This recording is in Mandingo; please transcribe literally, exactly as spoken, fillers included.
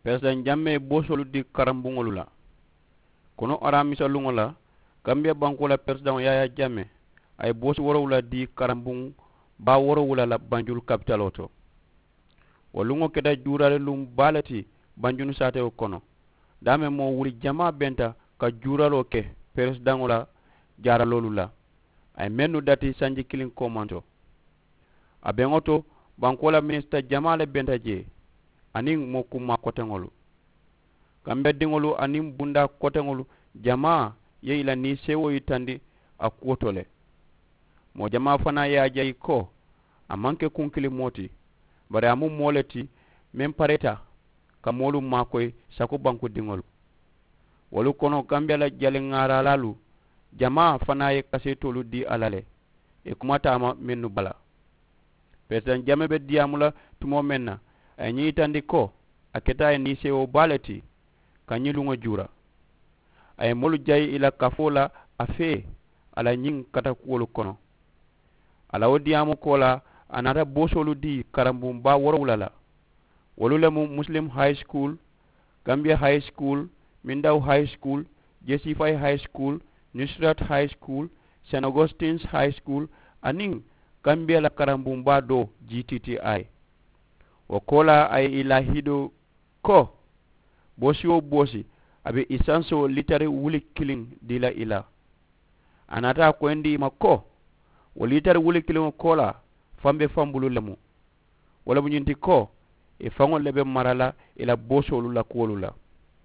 Peresidaŋ jammee boosoolu dii karambuŋolu la. Kono araamisa luŋo la, kambiya bankoo la peresidaŋo yaayaa jammee a ye boosi woorowula dii karambuŋ baa woorowula la banjulu kapitaloo to. Wo luŋo keta juuraali luŋ baa le ti banjulu saatewo kono. Daameŋ moo wuli jamaa benta ka juuraloo ke peresidaŋo la jaaraloolu la. A ye mennu dati sanji kiliŋ koomanto. A beŋo to, bankoo la minisita jamaa le benta jee aniŋ moo kummaa koteŋolu. Kambediŋolu aniŋ bundaa koteŋolu jamaa ye i la niiseewoo yitandi a kuwo to le. Moo jamaa fanaa ye a jayi ko a maŋ ke kunkilimoo ti, bari a mu moo le ti meŋ pareta ka moolu maakoyi sako bankudiŋolu. Wolu kono kambiya la jaliŋaaralaalu jamaa fanaa ye kaseetoolu dii a la le. Ì kuma taama mennu bala. Peresidaŋ jamee be diyaamu la tumoo meŋ na, a ye ñiŋ yitandi ko a keta a ye niiseewoo baa le ti ka ñiŋ luŋo juura. A ye moolu jayi ì la kafoo la a fee a la ñiŋ katakuwolu kono. A la wo diyaamu koolaa, a naata boosoolu dii karambuŋ baa woorowula la. Wolu le mu muslim high school, gambia high school, mindaw high school, jesifay high school, nusrat high school, st augustins high school, aniŋ gambia la karambuŋ baa doo g t t i. Wo koolaa a ye ì laahidoo ko boosi wo boosi a be isansoo liitari wuli kiliŋ dii la ì la. A naata a koyindi ì ma ko wo liitari wuli kiliŋo koolaa faŋ be faŋ bulu le mu. Wo le mu ñiŋ ti ko ì faŋolu le be mara la ì la boosoolu la kuwolu la.